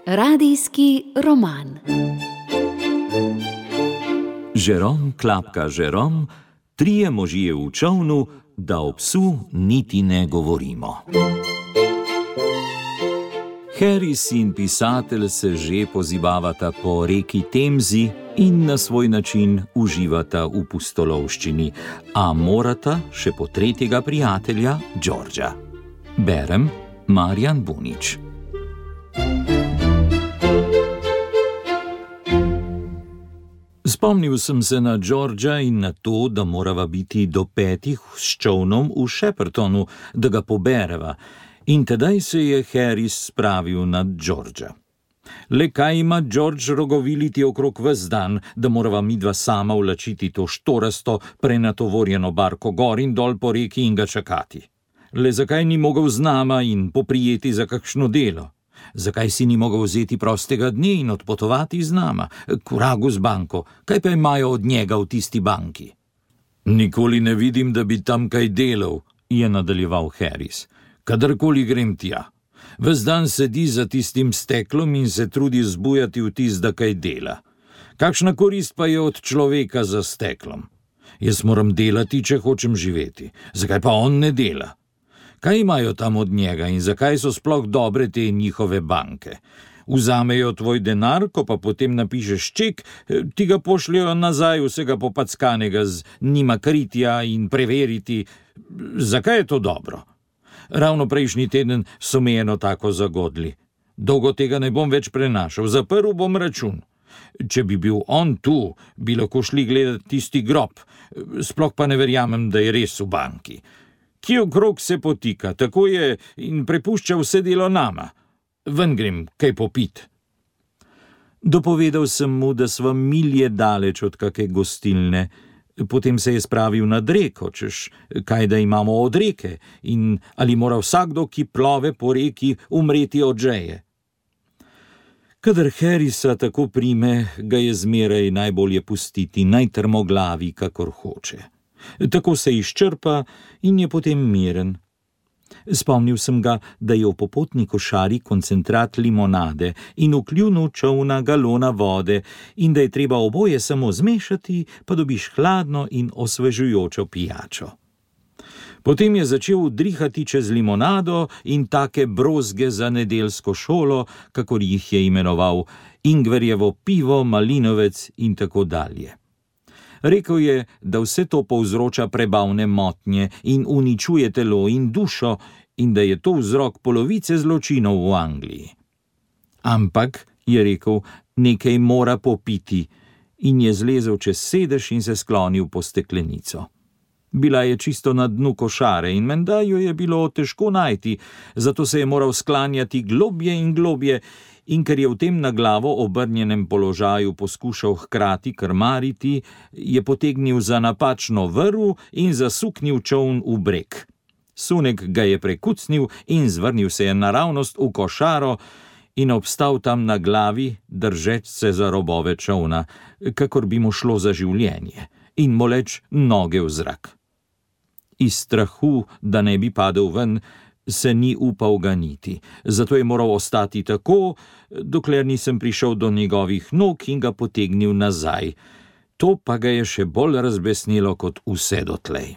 Radijski roman. Žerom klapka Žerom, trije možje v čolnu, da o psu niti ne govorimo. Harris in pisatelj se že pozibavata po reki Temzi in na svoj način uživata v pustolovščini, a morata še po tretjega prijatelja, Georgea. Berem Marjan Bunič. Spomnil sem se na Georgea in na to, da morava biti do 5 s čolnom v Sheppertonu, da ga pobereva, in tedaj se je Harris spravil nad Georgea. Le kaj ima George rogoviliti okrog ves dan, da morava midva sama vlačiti to štorasto, prenatovorjeno barko gor in dol po reki in ga čakati? Le zakaj ni mogel z nama in poprijeti za kakšno delo? Zakaj si ni mogel vzeti prostega dne in odpotovati z nama? K vragu z banko, kaj pa imajo od njega v tisti banki? Nikoli ne vidim, da bi tam kaj delal, je nadaljeval Harris. Kadarkoli grem tja. Ves dan sedi za tistim steklom in se trudi zbujati vtis, da kaj dela. Kakšna korist pa je od človeka za steklom? Jaz moram delati, če hočem živeti. Zakaj pa on ne dela? Kaj imajo tam od njega in zakaj so sploh dobre te njihove banke? Vzamejo tvoj denar, ko pa potem napišeš ček, ti ga pošljajo nazaj vsega popackanega z njima kritja in preveriti. Zakaj je to dobro? Ravno prejšnji teden so me eno tako zagodli. Dolgo tega ne bom več prenašal, zaprl bom račun. Če bi bil on tu, bi lahko šli gledati tisti grob, sploh pa ne verjamem, da je res v banki. Ki okrog se potika, tako je in prepušča vse delo nama. Ven grem, kaj popit. Dopovedal sem mu, da sva milje daleč od kake gostilne. Potem se je spravil nad reko, češ kaj da imamo od reke in ali mora vsakdo, ki plove po reki, umreti od žeje. Kadar Harrisa tako prime, ga je zmeraj najbolje pustiti, naj trmoglavi, kakor hoče. Tako se izčrpa in je potem miren. Spomnil sem ga, da je v popotni košari koncentrat limonade in v kljunu čolna galona vode in da je treba oboje samo zmešati, pa dobiš hladno in osvežujočo pijačo. Potem je začel drihati čez limonado in take brozge za nedeljsko šolo, kakor jih je imenoval, ingverjevo pivo, malinovec in tako dalje. Rekel je, da vse to povzroča prebavne motnje in uničuje telo in dušo in da je to vzrok polovice zločinov v Angliji. Ampak, je rekel, nekaj mora popiti in je zlezel čez sedež in se sklonil po steklenico. Bila je čisto na dnu košare in menda jo je bilo težko najti, zato se je moral sklanjati globje in globje, in ker je v tem na glavo obrnjenem položaju poskušal hkrati krmariti, je potegnil za napačno vrv in zasuknil čoln v breg. Sunek ga je prekucnil in zvrnil se je naravnost v košaro in obstal tam na glavi, držeč se za robove čolna, kakor bi mu šlo za življenje, in moleč noge v zrak. Iz strahu, da ne bi padel ven, se ni upal ganiti, zato je moral ostati tako, dokler nisem prišel do njegovih nog in ga potegnil nazaj. To pa ga je še bolj razbesnilo kot vse dotlej.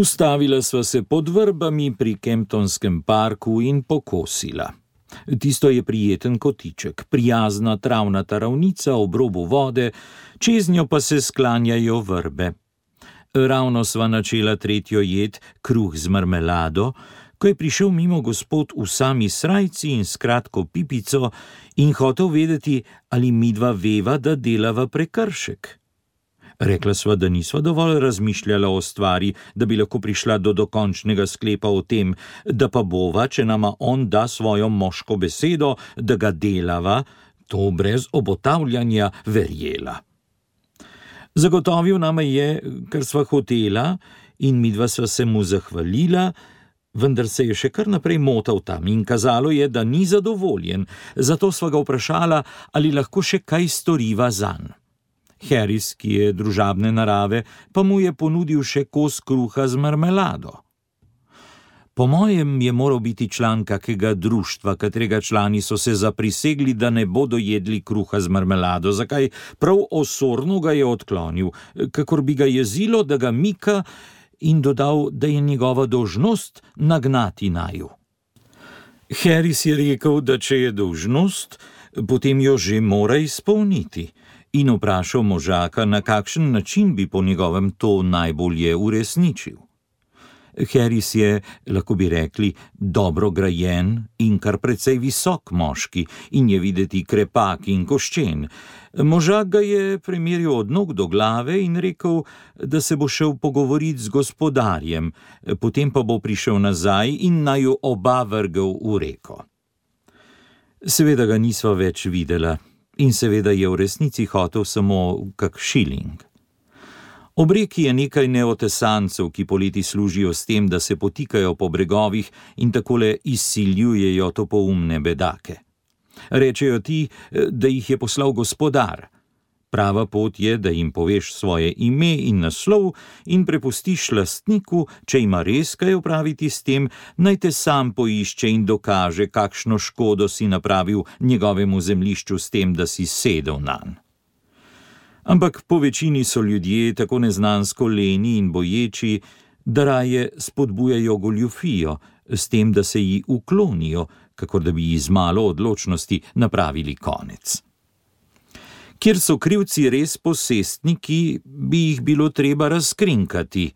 Ustavila sva se pod vrbami pri Kemptonskem parku in pokosila. Tisto je prijeten kotiček, prijazna travnata ravnica ob robu vode, čez njo pa se sklanjajo vrbe. Ravno sva načela tretjo jed, kruh z marmelado, ko je prišel mimo gospod v sami srajci in s kratko pipico in hotel vedeti, ali midva veva, da delava prekršek. Rekla sva, da nisva dovolj razmišljala o stvari, da bi lahko prišla do dokončnega sklepa o tem, da pa bova, če nama on da svojo moško besedo, da ga delava, to brez obotavljanja verjela. Zagotovil nama je, kar sva hotela, in midva sva se mu zahvalila, vendar se je še kar naprej motal tam in kazalo je, da ni zadovoljen, zato sva ga vprašala, ali lahko še kaj storiva zanj. Harris, ki je družabne narave, pa mu je ponudil še kos kruha z marmelado. Po mojem je moral biti član kakega društva, katerega člani so se zaprisegli, da ne bodo jedli kruha z marmelado, zakaj prav osorno ga je odklonil, kakor bi ga jezilo, da ga mika, in dodal, da je njegova dolžnost nagnati naju. Harris je rekel, da če je dolžnost, potem jo že mora izpolniti, in vprašal možaka, na kakšen način bi po njegovem to najbolje uresničil. Harris je, lahko bi rekli, dobro grajen in kar precej visok moški in je videti krepak in koščen. Možak ga je premeril od nog do glave in rekel, da se bo šel pogovoriti z gospodarjem, potem pa bo prišel nazaj in naju oba vrgel v reko. Seveda ga nisva več videla in seveda je v resnici hotel samo kak šiling. Ob reki je nekaj neotesancev, ki poleti služijo s tem, da se potikajo po bregovih in takole izsiljujejo topoumne bedake. Rečejo ti, da jih je poslal gospodar. Prava pot je, da jim poveš svoje ime in naslov in prepustiš lastniku, če ima res kaj opraviti s tem, naj te sam poišče in dokaže, kakšno škodo si napravil njegovemu zemljišču s tem, da si sedel nanj. Ampak po večini so ljudje tako neznansko leni in boječi, da raje spodbujajo goljufijo, s tem, da se ji uklonijo, kakor da bi ji z malo odločnosti napravili konec. Kjer so krivci res posestniki, bi jih bilo treba razkrinkati.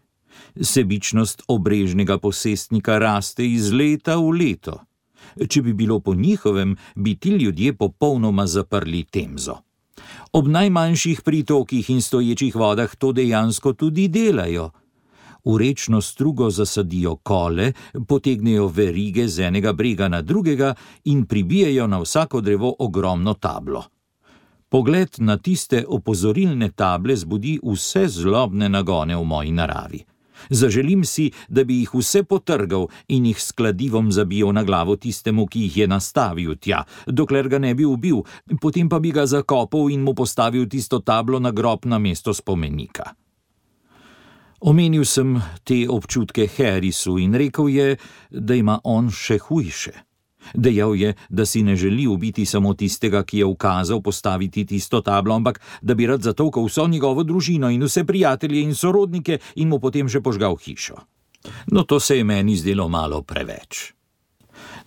Sebičnost obrežnega posestnika raste iz leta v leto. Če bi bilo po njihovem, bi ti ljudje popolnoma zaprli Temzo. Ob najmanjših pritokih in stoječih vodah to dejansko tudi delajo. V rečno strugo zasadijo kole, potegnejo verige z enega brega na drugega in pribijajo na vsako drevo ogromno tablo. Pogled na tiste opozorilne table zbudi vse zlobne nagone v moji naravi. Zaželim si, da bi jih vse potrgal in jih s kladivom zabijal na glavo tistemu, ki jih je nastavil tja, dokler ga ne bi ubil, potem pa bi ga zakopal in mu postavil tisto tablo na grob na mesto spomenika. Omenil sem te občutke Harrisu in rekel je, da ima on še hujše. Dejal je, da si ne želi ubiti samo tistega, ki je ukazal postaviti tisto tablo, ampak da bi rad zatolkal vso njegovo družino in vse prijatelje in sorodnike in mu potem še požgal hišo. No, to se je meni zdelo malo preveč.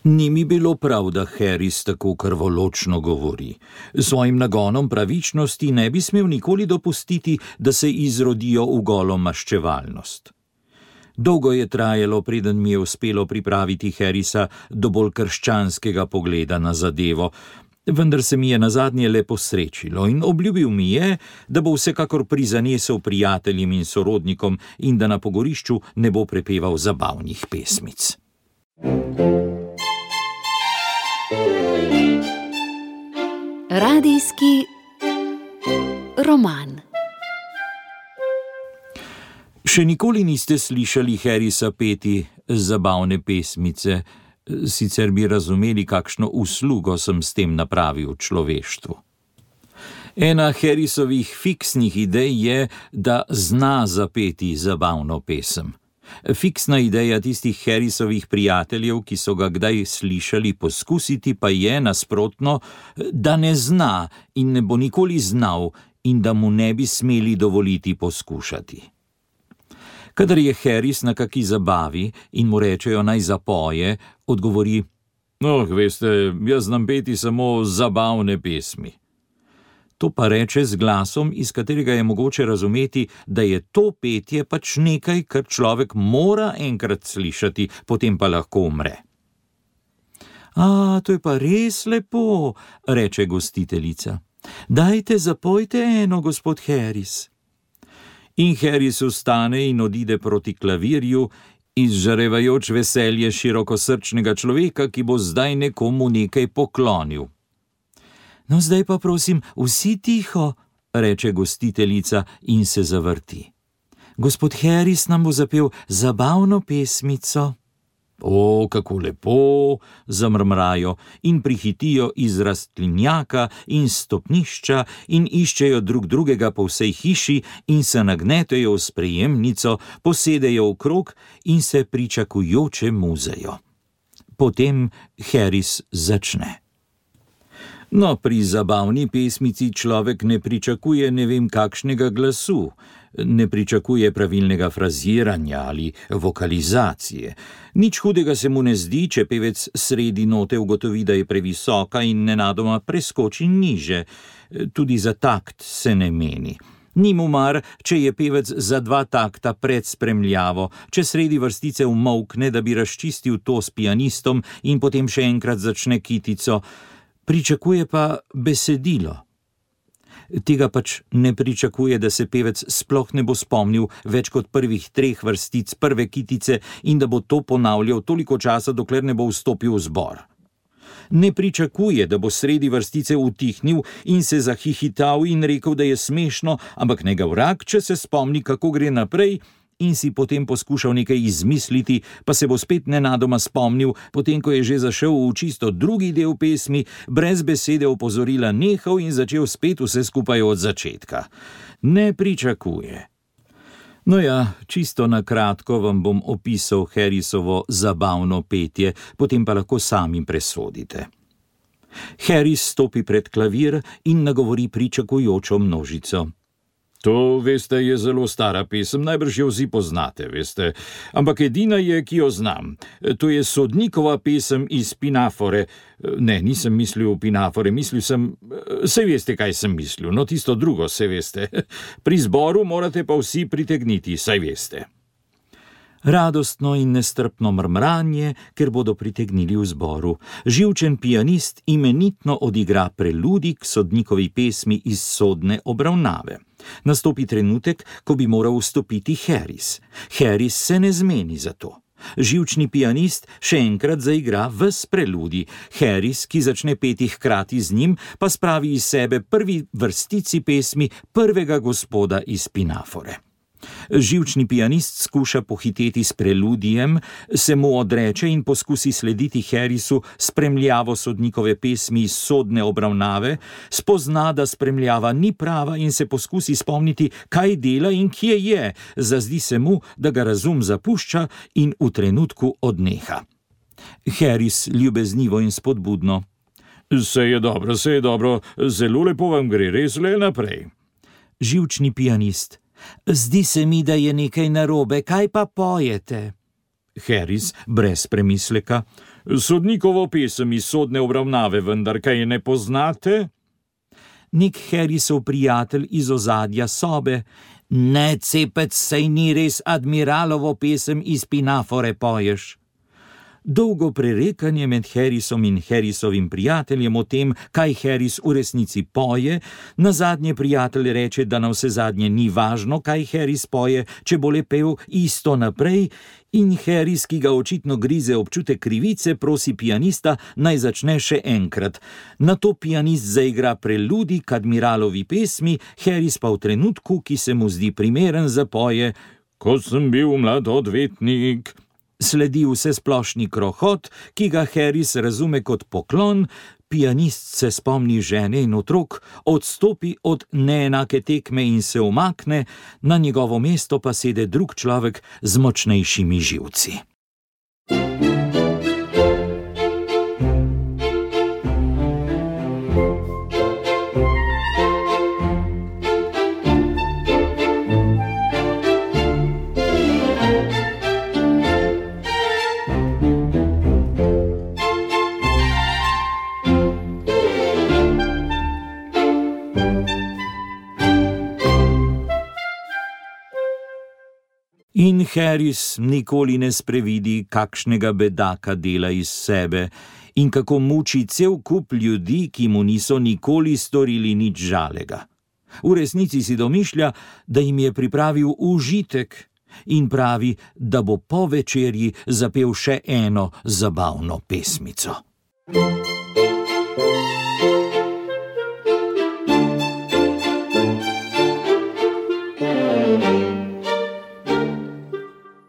Ni mi bilo prav, da Harris tako krvoločno govori. Svojim nagonom pravičnosti ne bi smel nikoli dopustiti, da se izrodijo v golo maščevalnost. Dolgo je trajalo, preden mi je uspelo pripraviti Harrisa do bolj krščanskega pogleda na zadevo, vendar se mi je nazadnje le posrečilo in obljubil mi je, da bo vsekakor prizanesel prijateljem in sorodnikom in da na pogorišču ne bo prepeval zabavnih pesmic. Radijski roman. Še nikoli niste slišali Harrisa peti zabavne pesmice, sicer bi razumeli, kakšno uslugo sem s tem napravil človeštvu. Ena Harrisovih fiksnih idej je, da zna zapeti zabavno pesem. Fiksna ideja tistih Harrisovih prijateljev, ki so ga kdaj slišali poskusiti, pa je nasprotno, da ne zna in ne bo nikoli znal in da mu ne bi smeli dovoliti poskušati. Kadar je Harris na kaki zabavi in mu rečejo naj zapoje, odgovori: veste, jaz znam peti samo zabavne pesmi. To pa reče z glasom, iz katerega je mogoče razumeti, da je to petje pač nekaj, kar človek mora enkrat slišati, potem pa lahko umre. To je pa res lepo, reče gostiteljica. Dajte, zapojte eno, gospod Harris. In Harris vstane in odide proti klavirju, izžarevajoč veselje širokosrčnega človeka, ki bo zdaj nekomu nekaj poklonil. No, zdaj pa prosim, vsi tiho, reče gostiteljica in se zavrti. Gospod Harris nam bo zapel zabavno pesmico. O, kako lepo, zamrmrajo in prihitijo iz rastlinjaka in stopnišča in iščejo drug drugega po vsej hiši in se nagnetejo v sprejemnico, posedejo v krog in se pričakujoče muzejo. Potem Harris začne. No, pri zabavni pesmici človek ne pričakuje ne vem kakšnega glasu, ne pričakuje pravilnega fraziranja ali vokalizacije. Nič hudega se mu ne zdi, če pevec sredi note ugotovi, da je previsoka in nenadoma preskoči niže. Tudi za takt se ne meni. Ni mu mar, če je pevec za 2 takta pred spremljavo, če sredi vrstice umolkne, da bi razčistil to s pianistom in potem še enkrat začne kitico. Pričakuje pa besedilo. Tega pač ne pričakuje, da se pevec sploh ne bo spomnil več kot prvih 3 vrstic prve kitice in da bo to ponavljal toliko časa, dokler ne bo vstopil v zbor. Ne pričakuje, da bo sredi vrstice utihnil in se zahihital in rekel, da je smešno, ampak ne ga vrag, če se spomni, kako gre naprej, in si potem poskušal nekaj izmisliti, pa se bo spet nenadoma spomnil, potem ko je že zašel v čisto drugi del pesmi, brez besede opozorila nehal in začel spet vse skupaj od začetka. Ne pričakuje. No ja, čisto na kratko vam bom opisal Harrisovo zabavno petje, potem pa lahko sami presodite. Harris stopi pred klavir in nagovori pričakujočo množico. To, veste, je zelo stara pesem, najbrž jo vsi poznate, veste, ampak edina je, ki jo znam. To je Sodnikova pesem iz Pinafore. Ne, nisem mislil v Pinafore, mislil sem, saj veste, kaj sem mislil, no tisto drugo, saj veste. Pri zboru morate pa vsi pritegniti, saj veste. Radostno in nestrpno mrmranje, ker bodo pritegnili v zboru. Živčen pianist imenitno odigra preludi k Sodnikovi pesmi iz Sodne obravnave. Nastopi trenutek, ko bi moral vstopiti Harris. Harris se ne zmeni za to. Živčni pianist še enkrat zaigra ves preludi. Harris, ki začne peti hkrati z njim, pa spravi iz sebe prvi vrstici pesmi prvega gospoda iz Pinafore. Živčni pianist skuša pohiteti s preludijem, se mu odreče in poskusi slediti Harrisu spremljavo Sodnikove pesmi iz Sodne obravnave, spozna, da spremljava ni prava in se poskusi spomniti, kaj dela in kje je, zazdi se mu, da ga razum zapušča in v trenutku odneha. Harris ljubeznivo in spodbudno. Se je dobro, zelo lepo vam gre, res le naprej. Živčni pianist. Zdi se mi, da je nekaj narobe, kaj pa pojete? Harris brez premisleka. Sodnikovo pesem iz Sodne obravnave, vendar kaj ne poznate? Nek Harrisov prijatelj iz ozadja sobe. Ne, cepec, saj ni res admiralovo pesem iz Pinafore poješ. Dolgo prerekanje med Harrisom in Harrisovim prijateljem o tem, kaj Harris v resnici poje, nazadnje prijatelj reče, da na vse zadnje ni važno, kaj Harris poje, če bo le pel isto naprej, in Harris, ki ga očitno grize občutek krivice, prosi pianista, naj začne še enkrat. Nato pianist zaigra preludi k admiralovi pesmi, Harris pa v trenutku, ki se mu zdi primeren za poje, ko sem bil mlad odvetnik. Sledi vsesplošni krohot, ki ga Harris razume kot poklon, pianist se spomni žene in otrok, odstopi od neenake tekme in se umakne, na njegovo mesto pa sede drug človek z močnejšimi živci. In Harris nikoli ne sprevidi, kakšnega bedaka dela iz sebe in kako muči cel kup ljudi, ki mu niso nikoli storili nič žalega. V resnici si domišlja, da jim je pripravil užitek in pravi, da bo po večerji zapel še eno zabavno pesmico.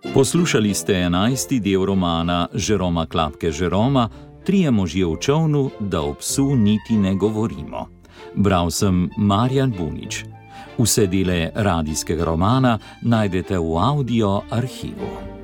Poslušali ste 11. del romana Žeroma Klapke Žeroma, Trije možje v čolnu, da o psu niti ne govorimo. Bral sem Marjan Bunič. Vse dele radijskega romana najdete v audio arhivu.